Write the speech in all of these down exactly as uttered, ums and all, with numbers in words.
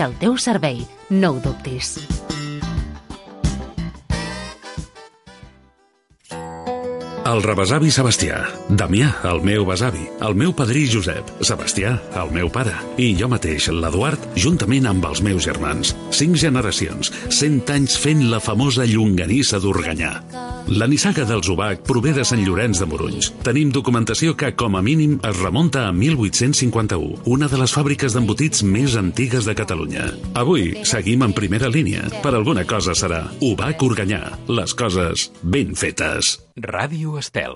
al teu servei, no ho dubtis. El rebesavi Sebastià, Damià, el meu besavi, el meu padrí Josep, Sebastià, el meu pare, i jo mateix, l'Eduard, juntament amb els meus germans. Cinc generacions, cent anys fent la famosa llonganissa d'Organyà. La nissaga dels Obac prové de Sant Llorenç de Morunys. Tenim documentació que, com a mínim, es remunta a mil vuit-cents cinquanta-u, una de les fàbriques d'embotits més antigues de Catalunya. Avui seguim en primera línia. Per alguna cosa serà Obac Organyà. Les coses ben fetes. Ràdio Estel.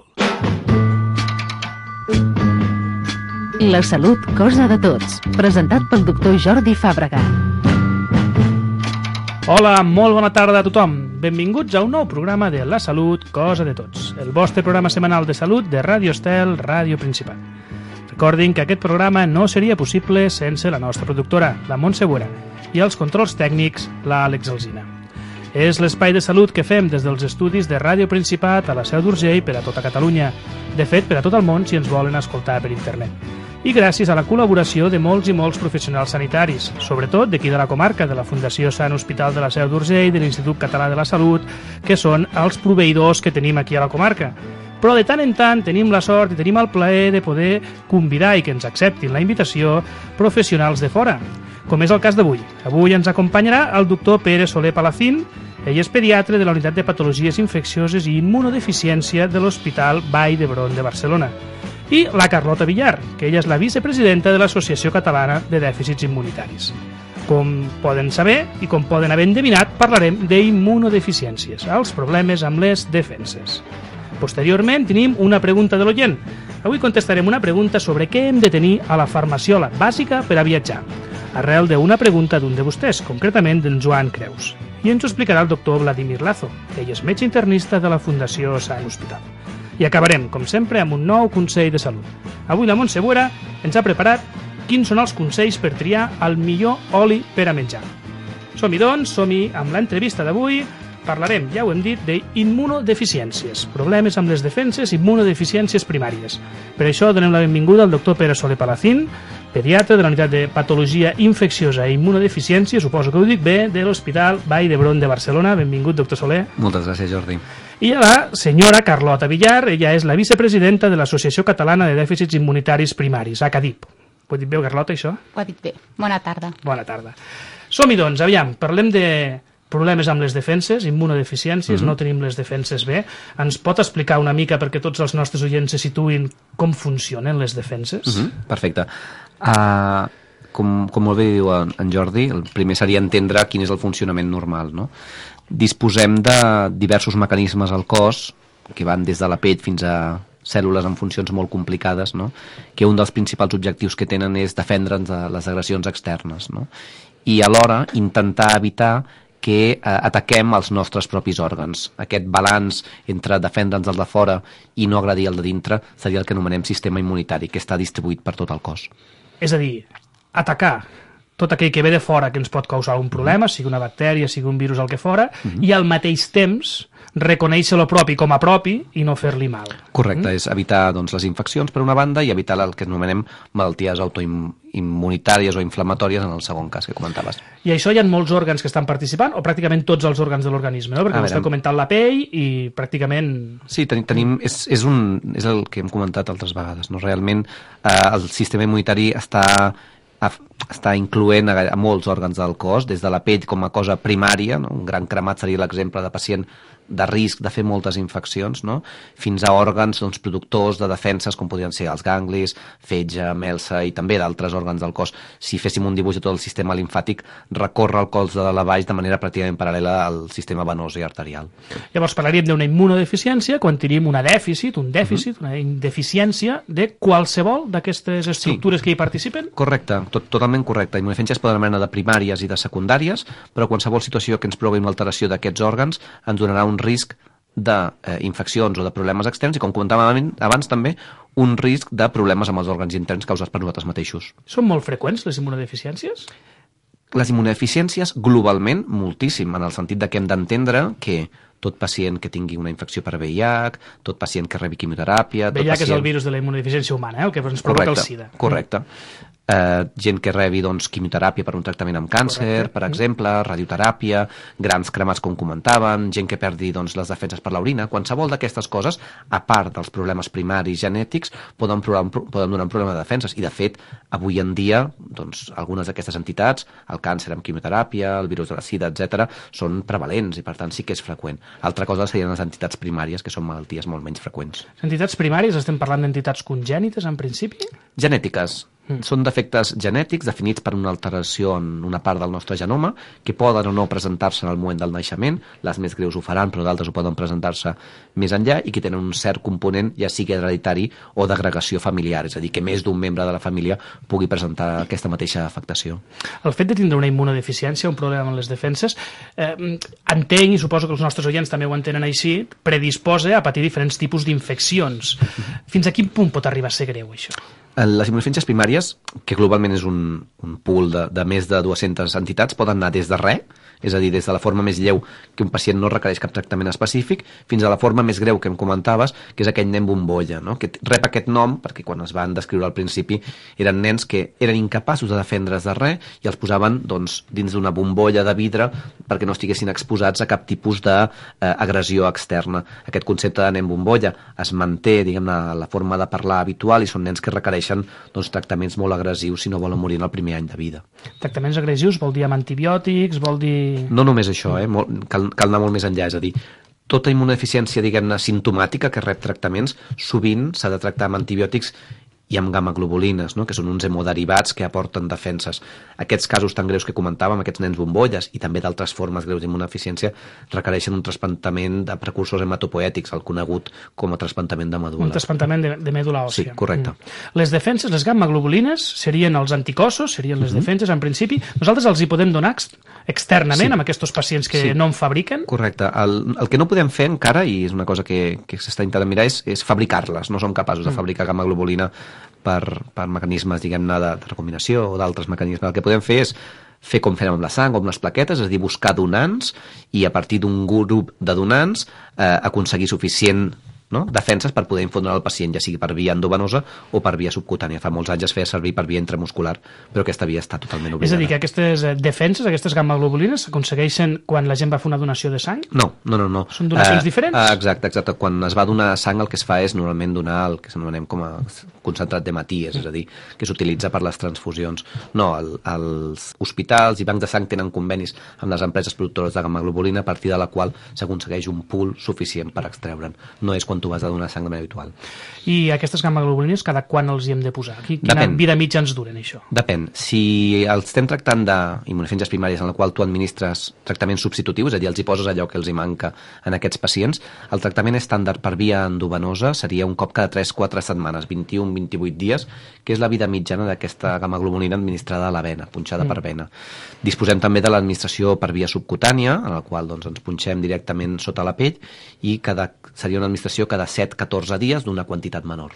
La salut, cosa de tots. Presentat pel doctor Jordi Fàbrega. Hola, molt bona tarda a tothom. Benvinguts a un nou programa de La salut, cosa de tots. El vostre programa setmanal de salut de Ràdio Estel, Ràdio Principat. Recordin que aquest programa no seria possible sense la nostra productora, la Montse Buera, i els controls tècnics, l'Àlex Alsina. És l'espai de salut que fem des dels estudis de Ràdio Principat a la Seu d'Urgell per a tota Catalunya. De fet, per a tot el món si ens volen escoltar per internet. I gràcies a la col·laboració de molts i molts professionals sanitaris, sobretot d'aquí de la comarca, de la Fundació Sant Hospital de la Seu d'Urgell, de l'Institut Català de la Salut, que són els proveïdors que tenim aquí a la comarca. Però de tant en tant tenim la sort i tenim el plaer de poder convidar i que ens acceptin la invitació professionals de fora, com és el cas d'avui. Avui ens acompanyarà el doctor Pere Soler Palacín. Ell és pediatre de la Unitat de Patologies Infeccioses i Immunodeficiència de l'Hospital Vall d'Hebron de Barcelona. I la Carlota Villar, que ella és la vicepresidenta de l'Associació Catalana de Dèficits Immunitaris. Com poden saber i com poden haver endevinat, parlarem d'immunodeficiències, els problemes amb les defenses. Posteriorment tenim una pregunta de l'oient. Avui contestarem una pregunta sobre què hem de tenir a la farmaciola bàsica per a viatjar, arrel d'una pregunta d'un de vostès, concretament d'en Joan Creus. I ens ho explicarà el doctor Vladimir Lazo, que ell és metge internista de la Fundació Sant Hospital. I acabarem, com sempre, amb un nou consell de salut. Avui la Montse Buera ens ha preparat quins són els consells per triar el millor oli per a menjar. Som-hi, doncs, som-hi amb l'entrevista d'avui. Parlarem, ja ho hem dit, d'immunodeficiències, problemes amb les defenses, immunodeficiències primàries. Per això donem la benvinguda al doctor Pere Soler Palacín, pediatre de la Unitat de Patologia Infecciosa i Immunodeficiència, suposo que ho dic bé, de l'Hospital Vall d'Hebron de Barcelona. Benvingut, doctor Soler. Moltes gràcies, Jordi. I a la senyora Carlota Villar, ella és la vicepresidenta de l'Associació Catalana de Dèficits Immunitaris Primaris, A C A D I P. Ho he dit bé, Carlota, això? Ho ha dit bé. Bona tarda. Bona tarda. Som-hi, doncs, aviam, parlem de problemes amb les defenses, immunodeficiències, uh-huh. No tenim les defenses bé. Ens pot explicar una mica, perquè tots els nostres oients se situïn, com funcionen les defenses? Uh-huh. Perfecte. Uh, com, com molt bé diu en, en Jordi, el primer seria entendre quin és el funcionament normal, no? Disposem de diversos mecanismes al cos, que van des de la pell fins a cèl·lules amb funcions molt complicades, no? Que un dels principals objectius que tenen és defendre'ns de les agressions externes, no? I alhora intentar evitar que eh, ataquem els nostres propis òrgans. Aquest balanç entre defendre'ns del de fora i no agredir el de dintre seria el que anomenem sistema immunitari, que està distribuït per tot el cos. És a dir, atacar tot aquell que ve de fora que ens pot causar un problema, sigui una bactèria, sigui un virus, el que fora, uh-huh. I al mateix temps reconèixer lo propi com a propi i no fer-li mal. Correcte, mm? És evitar doncs, les infeccions per una banda i evitar el que anomenem malalties autoimmunitàries o inflamatòries en el segon cas que comentaves. I això hi ha molts òrgans que estan participant o pràcticament tots els òrgans de l'organisme, no? Perquè a vostè veure, ha comentat la pell i pràcticament... Sí, tenim, tenim, és, és, un, és el que hem comentat altres vegades, no? Realment eh, el sistema immunitari està... està incloent a, a molts òrgans del cos, des de la pell com a cosa primària, no? Un gran cremat seria l'exemple de pacient de risc de fer moltes infeccions, no? Fins a òrgans doncs, productors de defenses com podrien ser els ganglis, fetge, melsa i també d'altres òrgans del cos. Si féssim un dibuix de tot el sistema limfàtic, recorre el cos de la baix de manera pràcticament paral·lela al sistema venós i arterial. Llavors parlaríem d'una immunodeficiència quan tenim una dèficit, un dèficit, uh-huh. una deficiència de qualsevol d'aquestes estructures sí. que hi participen? Correcte, tot, totalment correcte. Immunodeficiències poden anar de primàries i de secundàries, però qualsevol situació que ens provoqui una alteració d'aquests òrgans ens donarà un risc d'infeccions o de problemes externs i, com comentàvem abans, també un risc de problemes amb els òrgans interns causats per nosaltres mateixos. Són molt freqüents les immunodeficiències? Les immunodeficiències, globalment, moltíssim, en el sentit de que hem d'entendre que tot pacient que tingui una infecció per V I H, tot pacient que rebi quimioteràpia... V I H pacient... és el virus de la immunodeficiència humana, eh? El que ens provoca correcte, el SIDA. Correcte. Eh, gent que rebi doncs, quimioteràpia per un tractament amb càncer, correcte, per exemple, radioteràpia, grans cremats com comentaven, gent que perdi doncs, les defenses per l'orina, qualsevol d'aquestes coses, a part dels problemes primaris genètics, poden, poden donar un problema de defenses. I de fet, avui en dia, doncs, algunes d'aquestes entitats, el càncer amb quimioteràpia, el virus de la sida, etcètera, són prevalents i per tant sí que és freqüent. Altra cosa serien les entitats primàries, que són malalties molt menys freqüents. Les entitats primàries, estem parlant d'entitats congènites en principi? Genètiques. Mm. Són defectes genètics definits per una alteració en una part del nostre genoma que poden o no presentar-se en el moment del naixement, les més greus ho faran, però d'altres ho poden presentar-se més enllà i que tenen un cert component, ja sigui hereditari o d'agregació familiar, és a dir, que més d'un membre de la família pugui presentar aquesta mateixa afectació. El fet de tindre una immunodeficiència, un problema amb les defenses, eh, entenc, i suposo que els nostres oients també ho entenen així, predisposa a patir diferents tipus d'infeccions. Fins a quin punt pot arribar a ser greu, això? Les immunodeficiències primàries, que globalment és un, un pool de, de més de dues-centes entitats, poden anar des de res, és a dir, des de la forma més lleu, que un pacient no requereix cap tractament específic, fins a la forma més greu que em comentaves, que és aquell nen bombolla, no? Que rep aquest nom, perquè quan es van descriure al principi eren nens que eren incapaços de defendre's de res i els posaven doncs, dins d'una bombolla de vidre perquè no estiguessin exposats a cap tipus d'agressió eh, externa. Aquest concepte de nen bombolla es manté, diguem-ne, la forma de parlar habitual i són nens que requereixen doncs, tractaments molt agressius si no volen morir en el primer any de vida. Tractaments agressius vol dir amb antibiòtics, vol dir... No només això, eh? Molt, cal, cal anar molt més enllà, és a dir, tota immunodeficiència, diguem-ne, simptomàtica que rep tractaments, sovint s'ha de tractar amb antibiòtics i amb gammaglobulines, no? Que són uns hemoderivats que aporten defenses. Aquests casos tan greus que comentàvem, aquests nens bombolles i també d'altres formes greus d'immunodeficiència requereixen un trasplantament de precursors hematopoètics, el conegut com a trasplantament de medul·la. Un trasplantament de, de medul·la òssia. Sí, correcte. Mm. Les defenses, les gammaglobulines, serien els anticossos, serien les mm-hmm. defenses en principi. Nosaltres els hi podem donar ex externament sí. amb aquests pacients que sí. no en fabriquen? Correcte. El, el que no podem fer encara, i és una cosa que, que s'està intentant mirar, és, és fabricar-les. No som capaços de fabricar gammaglobulina per, per mecanismes, diguem-ne, de, de recombinació o d'altres mecanismes. El que podem fer és fer com fem amb la sang o amb les plaquetes, és a dir, buscar donants i a partir d'un grup de donants eh, aconseguir suficient no? defenses per poder infondre al pacient, ja sigui per via endovenosa o per via subcutània. Fa molts anys es feia servir per via intramuscular, però aquesta via està totalment oblidada. És a dir, que aquestes defenses, aquestes gammaglobulines, s'aconsegueixen quan la gent va fer una donació de sang? No, no, no. no. Són donacions uh, diferents? Uh, exacte, exacte. Quan es va donar sang el que es fa és normalment donar el que s'anomenem com a concentrat d'hematies, és a dir, que s'utilitza per les transfusions. No, el, els hospitals i bancs de sang tenen convenis amb les empreses productores de gammaglobulina a partir de la qual s'aconsegueix un pool suficient per extreure'n. No és quan tu vas a donar sang de manera habitual. I aquestes gammaglobulines cada quan els hi hem de posar? Quina Depèn. vida mitja ens duren, això? Depèn. Si els estem tractant d'immunodeficiències primàries en la qual tu administres tractaments substitutius, és a dir, els hi poses allò que els hi manca en aquests pacients, el tractament estàndard per via endovenosa seria un cop cada tres quatre setmanes, vint-i-un a vint-i-vuit dies, que és la vida mitjana d'aquesta gammaglobulina administrada a la vena, punxada mm. per vena. Disposem també de l'administració per via subcutània, en la qual doncs, ens punxem directament sota la pell i cada, seria una administració cada set a catorze dies d'una quantitat menor.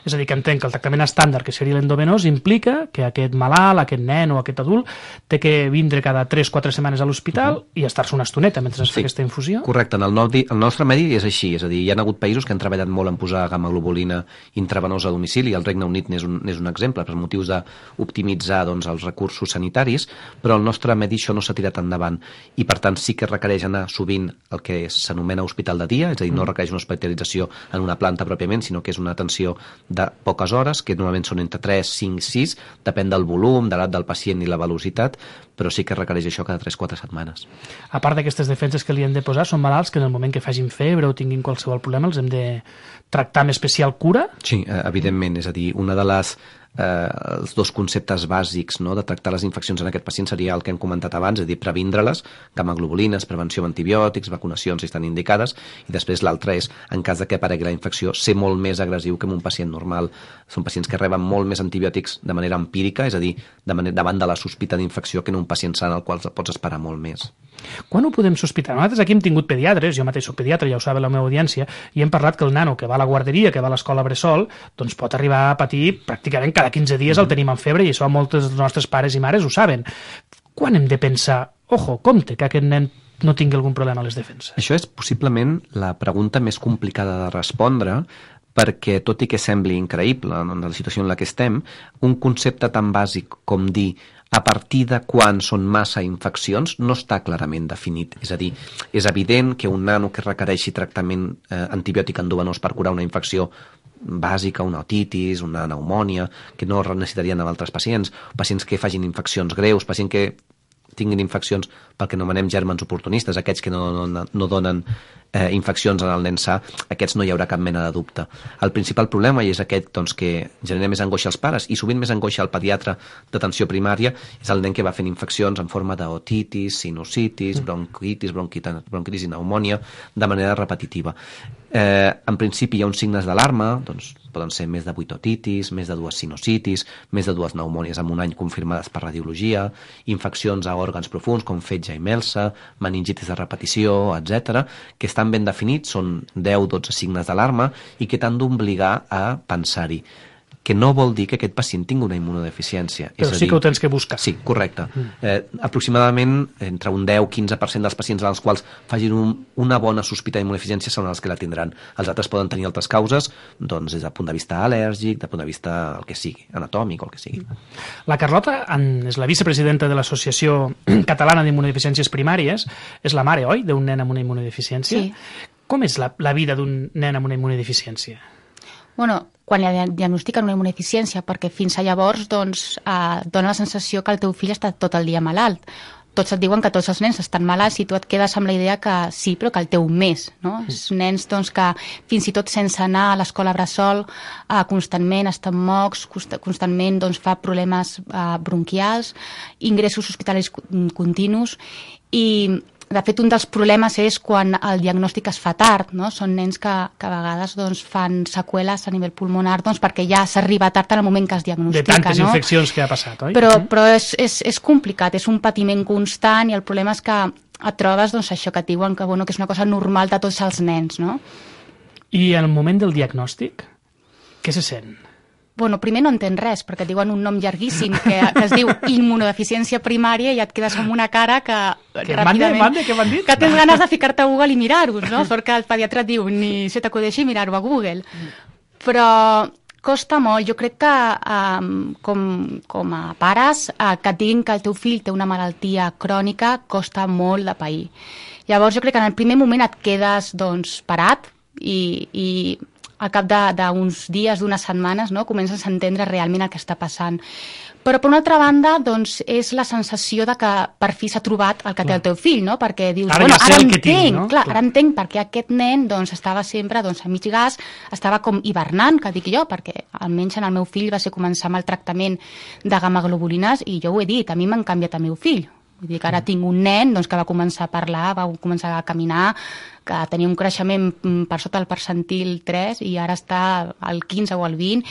És a dir, que entenc que el tractament estàndard, que seria l'endovenós, implica que aquest malalt, aquest nen o aquest adult té que vindre cada tres quatre setmanes a l'hospital uh -huh. i estar-se una estoneta mentre es sí. fa aquesta infusió? Correcte. En el, no el nostre medi és així, és a dir, hi ha hagut països que han treballat molt en posar gammaglobulina intravenosa a domicili, el Regne Unit n'és un, un exemple, per motius d'optimitzar doncs, els recursos sanitaris, però el nostre medi això no s'ha tirat endavant i per tant sí que requereix anar sovint el que s'anomena hospital de dia, és a dir, no requereix una hospitalització en una planta pròpiament, sinó que és una atenció de poques hores, que normalment són entre tres, cinc, sis, depèn del volum, de l'edat del pacient i la velocitat, però sí que requereix això cada tres quatre setmanes. A part d'aquestes defenses que li hem de posar, són malalts que en el moment que facin febre o tinguin qualsevol problema els hem de tractar amb especial cura? Sí, evidentment, és a dir, una de les Eh, els dos conceptes bàsics no, de tractar les infeccions en aquest pacient seria el que hem comentat abans, és a dir, previndre-les, gammaglobulines, prevenció amb antibiòtics, vacunacions si estan indicades, i després l'altre és, en cas de que aparegui la infecció, ser molt més agressiu que en un pacient normal. Són pacients que reben molt més antibiòtics de manera empírica, és a dir, de manera, davant de la sospita d'infecció que en un pacient sant al qual pots esperar molt més. Quan ho podem sospitar? Nosaltres aquí hem tingut pediatres, jo mateix soc pediatre, ja ho sabe la meva audiència, i hem parlat que el nano que va a la guarderia, que va a l'escola bressol, doncs pot arribar a patir pràcticament cada quinze dies el tenim amb febre, i això molts dels nostres pares i mares ho saben. Quan hem de pensar, ojo, compte, que aquest nen no tingui algun problema a les defenses? Això és possiblement la pregunta més complicada de respondre, perquè tot i que sembli increïble en la situació en la que estem, un concepte tan bàsic com dir a partir de quan són massa infeccions no està clarament definit. És a dir, és evident que un nano que requereixi tractament eh, antibiòtic endovenós per curar una infecció bàsica, una otitis, una pneumònia, que no necessitarien amb altres pacients, pacients que facin infeccions greus, pacients que tinguin infeccions pel que anomenem gèrmens oportunistes, aquests que no, no, no donen eh, infeccions en el nen sa, aquests no hi haurà cap mena de dubte. El principal problema, i és aquest doncs, que genera més angoixa als pares i sovint més angoixa al pediatre d'atenció primària, és el nen que va fent infeccions en forma d'otitis, sinusitis, bronquitis, bronquitis, bronquitis i pneumònia de manera repetitiva. Eh, en principi hi ha uns signes d'alarma, doncs poden ser més de vuit otitis, més de dues sinusitis, més de dues pneumònies en un any confirmades per radiologia, infeccions a òrgans profuns com fetge i melsa, meningitis de repetició, etcètera, que estan ben definits, són deu o dotze signes d'alarma i que t'han d'obligar a pensar-hi. Que no vol dir que aquest pacient tingui una immunodeficiència. Però sí que ho tens que buscar. Sí, correcte. Mm. Eh, aproximadament entre un deu a quinze per cent dels pacients als quals facin un, una bona sospita d'immunodeficiència són els que la tindran. Els altres poden tenir altres causes, doncs des del punt de vista al·lèrgic, des del punt de vista el que sigui, anatòmic o el que sigui. La Carlota és la vicepresidenta de l'Associació Catalana d'Immunodeficiències Primàries, és la mare, oi?, d'un nen amb una immunodeficiència. Sí. Com és la, la vida d'un nen amb una immunodeficiència? Bueno, quan li diagnostiquen una immunodeficiència, perquè fins a llavors doncs, eh, dona la sensació que el teu fill està tot el dia malalt. Tots et diuen que tots els nens estan malalts i tu et quedes amb la idea que sí, però que el teu més, no? Mm. Els nens doncs, que fins i tot sense anar a l'escola bressol eh, constantment estan mocs, constantment doncs, fa problemes eh, bronquials, ingressos hospitalaris continus i... De fet, un dels problemes és quan el diagnòstic es fa tard, no? Són nens que, que a vegades doncs, fan seqüeles a nivell pulmonar doncs, perquè ja s'arriba tard en el moment que es diagnostica. De tantes no? infeccions que ha passat, oi? Però, però és, és, és complicat, és un patiment constant i el problema és que et trobes doncs, això que et diuen que, bueno, que és una cosa normal de tots els nens, no? I en el moment del diagnòstic, què se sent? Bueno, primer no entén res, perquè et diuen un nom llarguíssim que, que es diu immunodeficiència primària i et quedes amb una cara que, que ràpidament... Mande, mande, què m'han dit? Que tens ganes de ficar-te a Google i mirar-vos, no? Perquè el pediatre et diu ni se t'acudeixi mirar-ho a Google. Però costa molt. Jo crec que um, com, com a pares uh, que et diguin que el teu fill té una malaltia crònica costa molt de pair. Llavors jo crec que en el primer moment et quedes doncs, parat i... i al cap d'uns dies, d'unes setmanes, no? Comences a entendre realment el que està passant. Però, per una altra banda, doncs, és la sensació de que per fi s'ha trobat el que té el teu fill, no? Perquè dius, ara bueno, ja sé ara el que entenc, tinc, no? clar, Clar. ara entenc perquè aquest nen doncs, estava sempre doncs, a mig gas, estava com hivernant, que dic jo, perquè almenys en el meu fill va ser començar amb el tractament de gamma-globulines i jo ho he dit, a mi m'han canviat el meu fill. Vull dir que ara tinc un nen doncs, que va començar a parlar, va començar a caminar, que tenia un creixement per sota del percentil tres i ara està al quinze o al vint.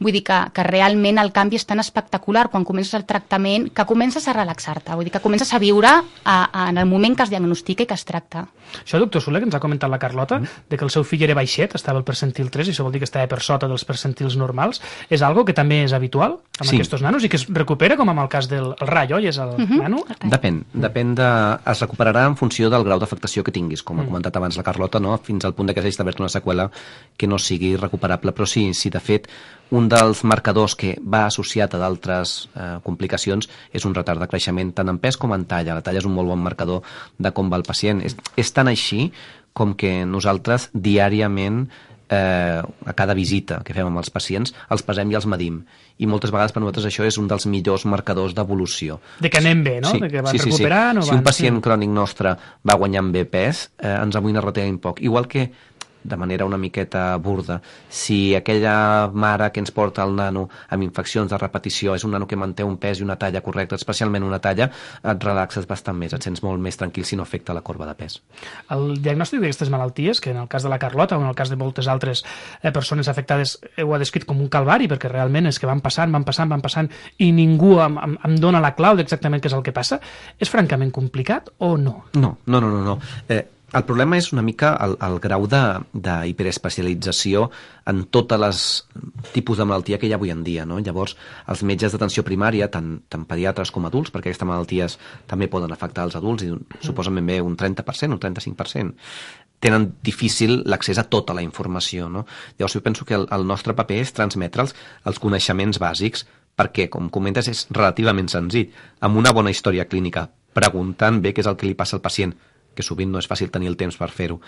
Vull dir que, que realment el canvi és tan espectacular quan comences el tractament que comences a relaxar-te, vull dir que comences a viure a, a, en el moment que es diagnostica i que es tracta. Això, doctor Soler, que ens ha comentat la Carlota, mm. de que el seu fill era baixet, estava al percentil tres, i això vol dir que estava per sota dels percentils normals, és algo que també és habitual amb sí. aquests nanos i que es recupera, com amb el cas del el Rai, oi? És el mm -hmm. nano? Depèn, depèn de... Es recuperarà en funció del grau d'afectació que tinguis, com ha mm. comentat abans la Carlota, no? Fins al punt de que s'hagi d'haver-te una seqüela que no sigui recuperable, però sí, sí, de fet, un dels marcadors que va associat a d'altres eh, complicacions és un retard de creixement tant en pes com en talla. La talla és un molt bon marcador de com va el pacient. És, és tan així com que nosaltres diàriament eh, a cada visita que fem amb els pacients els pesem i els medim. I moltes vegades per nosaltres això és un dels millors marcadors d'evolució. De que anem bé, no? Sí, de que van sí, sí, recuperant sí. o Si un van... pacient sí. crònic nostre va guanyant bé pes, eh, ens amoïna relativament poc. Igual que de manera una miqueta burda. Si aquella mare que ens porta el nano amb infeccions de repetició és un nano que manté un pes i una talla correcta, especialment una talla, et relaxes bastant més, et sents molt més tranquil si no afecta la corba de pes. El diagnòstic d'aquestes malalties, que en el cas de la Carlota o en el cas de moltes altres eh, persones afectades ho ha descrit com un calvari, perquè realment és que van passant, van passant, van passant i ningú em, em, em dona la clau d'exactament què és el que passa, és francament complicat o no? No, no, no, no. no. Eh, El problema és una mica el, el grau d'hiperespecialització en totes les tipus de malaltia que hi ha avui en dia, no? Llavors, els metges d'atenció primària, tant, tant pediatres com adults, perquè aquestes malalties també poden afectar els adults, i suposen ben bé un trenta per cent, un trenta-cinc per cent, tenen difícil l'accés a tota la informació, no? Llavors, jo penso que el, el nostre paper és transmetre'ls els coneixements bàsics, perquè, com comentes, és relativament senzill, amb una bona història clínica, preguntant bé què és el que li passa al pacient, que sovint no és fàcil tenir el temps per fer-ho,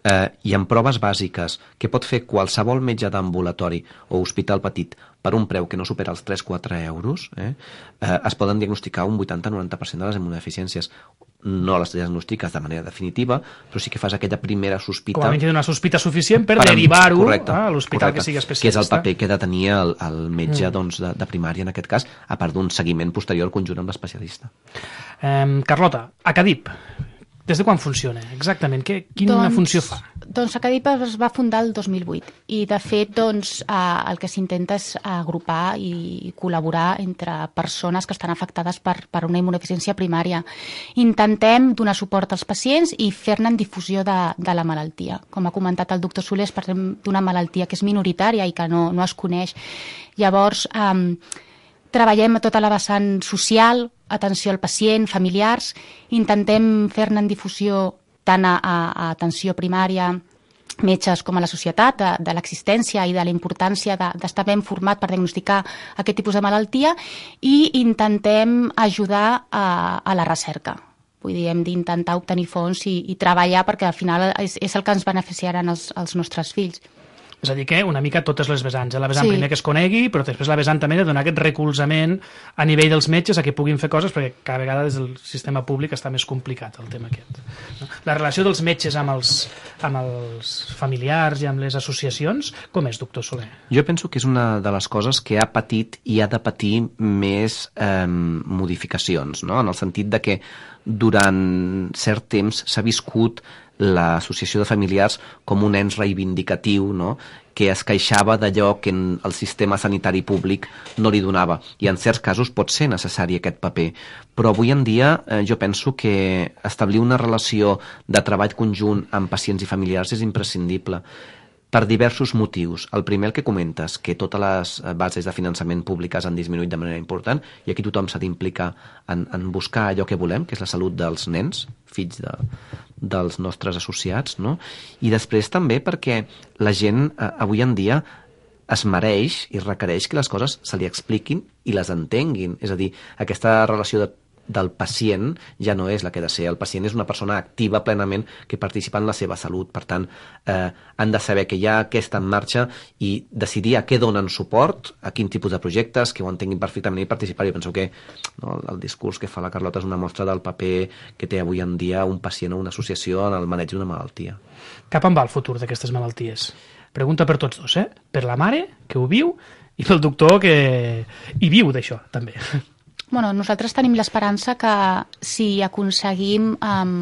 eh, i amb proves bàsiques que pot fer qualsevol metge d'ambulatori o hospital petit per un preu que no supera els tres a quatre euros, eh, eh, es poden diagnosticar un vuitanta a noranta per cent de les immunodeficiències. No les diagnostiques de manera definitiva, però sí que fas aquella primera sospita. Com a mínim una sospita suficient per, per derivar-ho a l'hospital que sigui especialista. Que és el paper que ha de tenir el, el metge mm. doncs, de, de primària, en aquest cas, a part d'un seguiment posterior conjunt amb l'especialista. Eh, Carlota, Acadip, des de quan funciona exactament? Que, quina doncs, funció fa? Doncs Acadip es va fundar el dos mil vuit i de fet doncs, eh, el que s'intenta és agrupar i col·laborar entre persones que estan afectades per, per una immunodeficiència primària. Intentem donar suport als pacients i fer-ne difusió de, de la malaltia. Com ha comentat el doctor Soler, parlem d'una malaltia que és minoritària i que no, no es coneix. Llavors, eh, treballem a tota la vessant social, atenció al pacient, familiars, intentem fer-ne difusió tant a, a, a atenció primària, metges com a la societat, de, de l'existència i de la importància de, d'estar ben format per diagnosticar aquest tipus de malaltia, i intentem ajudar a, a la recerca. Vull dir, hem d'intentar obtenir fons i, i treballar perquè al final és, és el que ens beneficiaran els, els nostres fills. És a dir que una mica totes les vessants. La vessant sí. primer que es conegui, però després la vessant també de donar aquest recolzament a nivell dels metges a que puguin fer coses, perquè cada vegada des del sistema públic està més complicat el tema aquest. La relació dels metges amb els, amb els familiars i amb les associacions, com és, doctor Soler? Jo penso que és una de les coses que ha patit i ha de patir més eh, modificacions, no? En el sentit de que durant cert temps s'ha viscut l'associació de familiars com un ens reivindicatiu, no? Que es queixava d'allò que el sistema sanitari públic no li donava, i en certs casos pot ser necessari aquest paper, però avui en dia eh, jo penso que establir una relació de treball conjunt amb pacients i familiars és imprescindible per diversos motius. El primer, el que comentes, que totes les bases de finançament públiques han disminuït de manera important, i aquí tothom s'ha d'implicar en, en buscar allò que volem, que és la salut dels nens, fills de, dels nostres associats, no? I després també perquè la gent eh, avui en dia es mereix i requereix que les coses se li expliquin i les entenguin. És a dir, aquesta relació de del pacient ja no és la que ha de ser. El pacient és una persona activa plenament que participa en la seva salut. Per tant, eh, han de saber que hi ha aquesta en marxa i decidir a què donen suport, a quin tipus de projectes, que ho entenguin perfectament i participar. Jo penso que no, el discurs que fa la Carlota és una mostra del paper que té avui en dia un pacient o una associació en el maneig d'una malaltia. Cap on va el futur d'aquestes malalties? Pregunta per tots dos, eh? Per la mare, que ho viu, i pel doctor, que hi viu d'això, també. Bueno, nosaltres tenim l'esperança que si aconseguim um,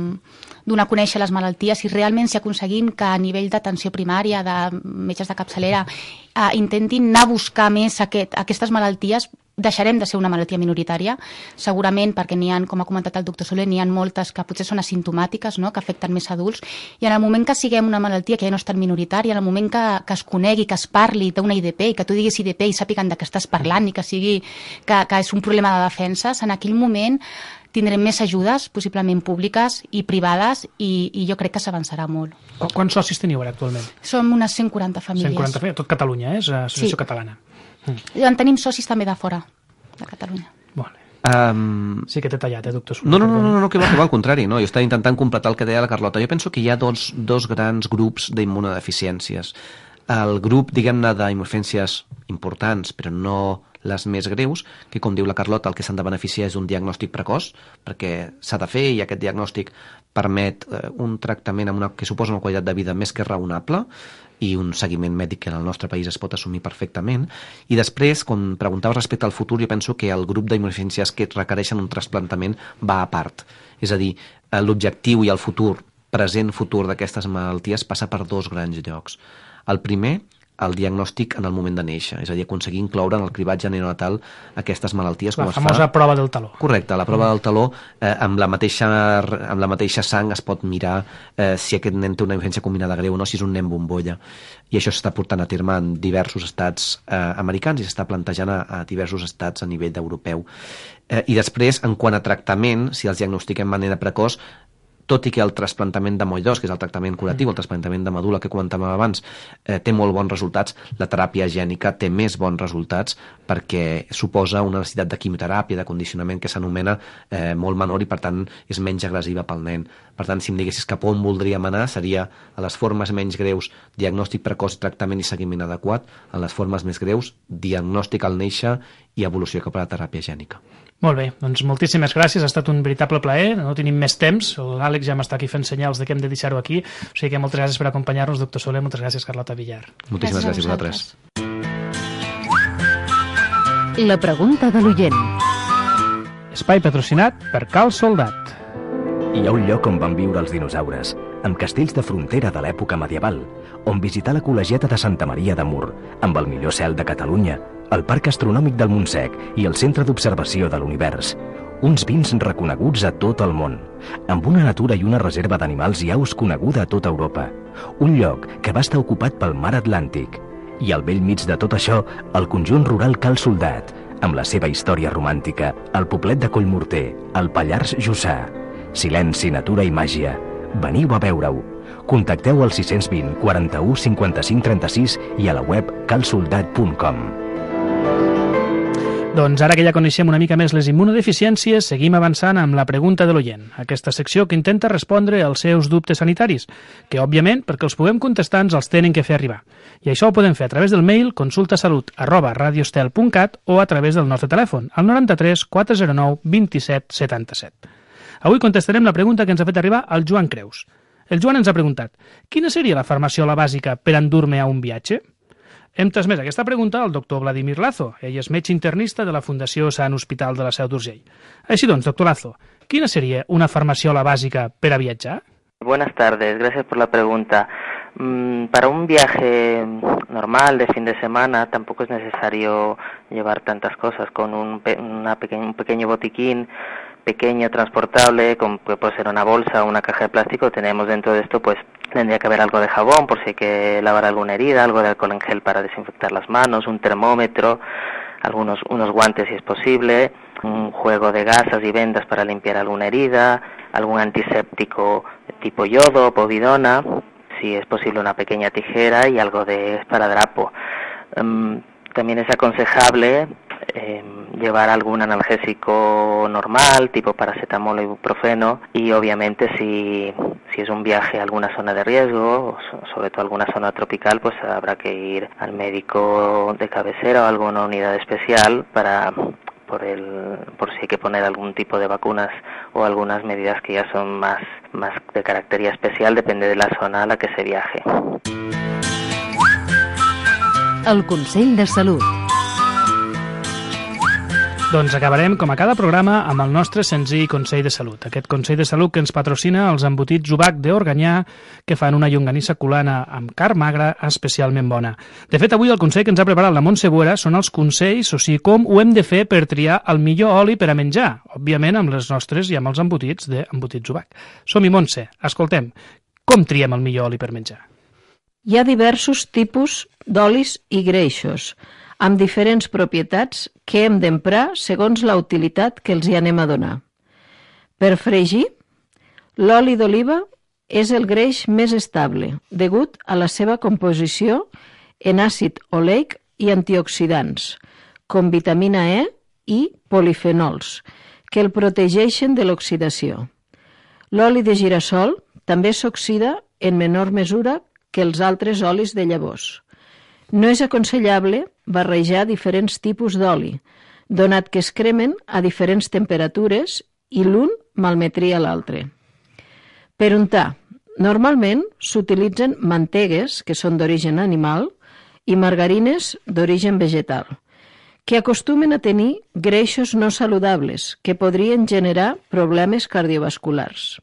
donar a conèixer les malalties, si realment si aconseguim que a nivell d'atenció primària, de metges de capçalera, uh, intentin anar a buscar més aquest, aquestes malalties, deixarem de ser una malaltia minoritària, segurament perquè n'hi ha, com ha comentat el doctor Soler, n'hi ha moltes que potser són asimptomàtiques, no?, que afecten més adults, i en el moment que siguem una malaltia que ja no és tan minoritària, en el moment que, que es conegui, que es parli d'una I D P, i que tu diguis I D P i sàpiguen de què estàs parlant, i que sigui que, que és un problema de defenses, en aquell moment tindrem més ajudes, possiblement públiques i privades, i, i jo crec que s'avançarà molt. Quants socis teniu ara actualment? Som unes cent quaranta famílies. cent quaranta famílies, tot Catalunya, eh? És associació sí. catalana. Mm. En tenim socis també de fora, de Catalunya. Vale. Um... Sí que t'he tallat, eh, doctor Soler? No, no, no, no, no, que va, que va al contrari. No? Jo estava intentant completar el que deia la Carlota. Jo penso que hi ha dos, dos grans grups d'immunodeficiències. El grup, diguem-ne, d'immunodeficiències importants, però no les més greus, que com diu la Carlota, el que s'han de beneficiar és un diagnòstic precoç, perquè s'ha de fer i aquest diagnòstic permet eh, un tractament amb una, que suposa una qualitat de vida més que raonable i un seguiment mèdic que en el nostre país es pot assumir perfectament. I després, com preguntaves respecte al futur, jo penso que el grup d'immunodeficiències que requereixen un trasplantament va a part. És a dir, l'objectiu i el futur, present futur d'aquestes malalties passa per dos grans llocs. El primer, el diagnòstic en el moment de néixer, és a dir, aconseguir incloure en el cribatge neonatal aquestes malalties. La com famosa es fa... prova del taló. Correcte, la prova mm. del taló, eh, amb, la mateixa, amb la mateixa sang es pot mirar eh, si aquest nen té una influència combinada greu o no, si és un nen bombolla. I això s'està portant a terme en diversos estats eh, americans i s'està plantejant a, a diversos estats a nivell europeu. Eh, I després, en quant a tractament, si els diagnostiquem de manera precoç, tot i que el trasplantament de moll d'os, que és el tractament curatiu, el trasplantament de medul·la que comentàvem abans, eh, té molt bons resultats, la teràpia gènica té més bons resultats perquè suposa una necessitat de quimioteràpia, de condicionament que s'anomena eh, molt menor i per tant és menys agressiva pel nen. Per tant, si em diguessis cap on voldríem anar, seria a les formes menys greus, diagnòstic precoç, tractament i seguiment adequat, a les formes més greus, diagnòstic al néixer i evolució cap a la teràpia gènica. Molt bé, doncs moltíssimes gràcies, ha estat un veritable plaer, no tenim més temps, l'Àlex ja m'està aquí fent senyals de que hem de deixar-ho aquí, o sigui que moltes gràcies per acompanyar-nos, doctor Soler, moltes gràcies, Carlota Villar. Moltíssimes gràcies, gràcies a vosaltres. La pregunta de l'oient. Espai patrocinat per Cal Soldat. Hi ha un lloc on van viure els dinosaures, amb castells de frontera de l'època medieval, on visitar la col·legiata de Santa Maria de Mur, amb el millor cel de Catalunya, el Parc Astronòmic del Montsec i el Centre d'Observació de l'Univers. Uns vins reconeguts a tot el món, amb una natura i una reserva d'animals i aus coneguda a tota Europa. Un lloc que va estar ocupat pel mar Atlàntic. I al vell mig de tot això, el conjunt rural Cal Soldat, amb la seva història romàntica, el poblet de Collmorter, el Pallars Jussà. Silenci, natura i màgia. Veniu a veure-ho. Contacteu al sis vint, quaranta-u, cinquanta-cinc, trenta-sis i a la web cal soldat punt com. Doncs ara que ja coneixem una mica més les immunodeficiències, seguim avançant amb la pregunta de l'oient, aquesta secció que intenta respondre als seus dubtes sanitaris, que, òbviament, perquè els puguem contestar, ens els tenen que fer arribar. I això ho podem fer a través del mail consultasalut arroba radiostel punt cat o a través del nostre telèfon, al noranta-tres quatre zero nou vint set setanta-set. Avui contestarem la pregunta que ens ha fet arribar el Joan Creus. El Joan ens ha preguntat: quina seria la farmaciola bàsica per endur-me a un viatge? Hem transmès aquesta pregunta al doctor Vladimir Lazo. Ell és metge internista de la Fundació Sant Hospital de la Seu d'Urgell. Així doncs, doctor Lazo, ¿quina sería una farmaciola básica para viajar? Buenas tardes, gracias por la pregunta. Mm, para un viaje normal de fin de semana tampoco es necesario llevar tantas cosas. Con un, pe una peque un pequeño botiquín pequeño, transportable, con, que puede ser una bolsa o una caja de plástico, tenemos dentro de esto, pues tendría que haber algo de jabón por si hay que lavar alguna herida, algo de alcohol en gel para desinfectar las manos, un termómetro, algunos unos guantes si es posible, un juego de gasas y vendas para limpiar alguna herida, algún antiséptico tipo yodo o povidona, si es posible una pequeña tijera y algo de esparadrapo. Um, también es aconsejable eh, llevar algún analgésico normal, tipo paracetamol o ibuprofeno, y obviamente si, si es un viaje a alguna zona de riesgo, sobre todo alguna zona tropical, pues habrá que ir al médico de cabecera o a alguna unidad especial para por el por si hay que poner algún tipo de vacunas o algunas medidas que ya son más, más de característica especial, depende de la zona a la que se viaje. El Consell de Salut. Doncs acabarem, com a cada programa, amb el nostre senzill Consell de Salut. Aquest Consell de Salut que ens patrocina els embotits Jubac d'Organyà, que fan una llonganissa colana amb carn magra especialment bona. De fet, avui el consell que ens ha preparat la Montse Buera són els consells, o sigui, com ho hem de fer per triar el millor oli per a menjar, òbviament amb les nostres i amb els embotits d'embotits Jubac. Som-hi, Montse, escoltem, com triem el millor oli per menjar? Hi ha diversos tipus d'olis i greixos, amb diferents propietats que hem d'emprar segons la utilitat que els hi anem a donar. Per fregir, l'oli d'oliva és el greix més estable, degut a la seva composició en àcid oleic i antioxidants, com vitamina E i polifenols, que el protegeixen de l'oxidació. L'oli de girassol també s'oxida en menor mesura que els altres olis de llavors. No és aconsellable barrejar diferents tipus d'oli, donat que es cremen a diferents temperatures i l'un malmetria l'altre. Per untar, normalment s'utilitzen mantegues, que són d'origen animal, i margarines d'origen vegetal, que acostumen a tenir greixos no saludables que podrien generar problemes cardiovasculars.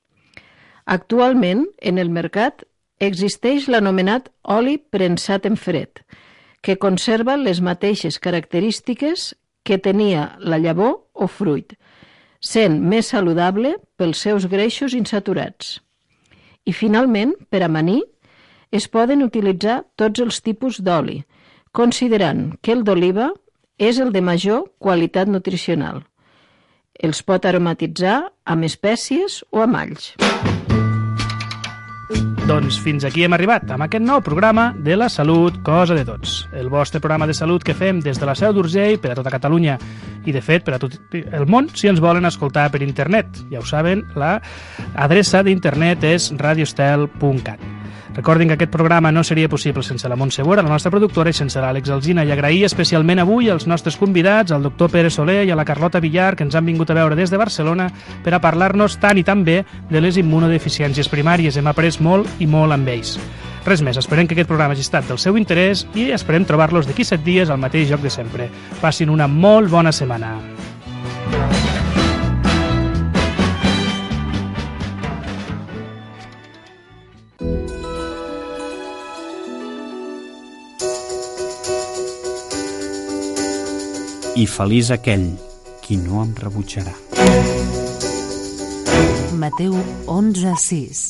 Actualment, en el mercat existeix l'anomenat oli premsat en fred, que conserva les mateixes característiques que tenia la llavor o fruit, sent més saludable pels seus greixos insaturats. I finalment, per amanir, es poden utilitzar tots els tipus d'oli, considerant que el d'oliva és el de major qualitat nutricional. Els pot aromatitzar amb espècies o amb alls. Doncs fins aquí hem arribat, amb aquest nou programa de la salut, cosa de tots. El vostre programa de salut que fem des de la Seu d'Urgell per a tota Catalunya i, de fet, per a tot el món, si ens volen escoltar per internet. Ja ho saben, l'adreça d'internet és radiostel punt cat. Recordin que aquest programa no seria possible sense la Montse Bora, la nostra productora, i sense l'Àlex Alsina. I agrair especialment avui als nostres convidats, al doctor Pere Soler i a la Carlota Villar, que ens han vingut a veure des de Barcelona per a parlar-nos tant i tan bé de les immunodeficiències primàries. Hem après molt i molt amb ells. Res més, esperem que aquest programa hagi estat del seu interès i esperem trobar-los d'aquí set dies al mateix lloc de sempre. Passin una molt bona setmana. I feliç aquell qui no em rebutjarà. Mateu onze sis.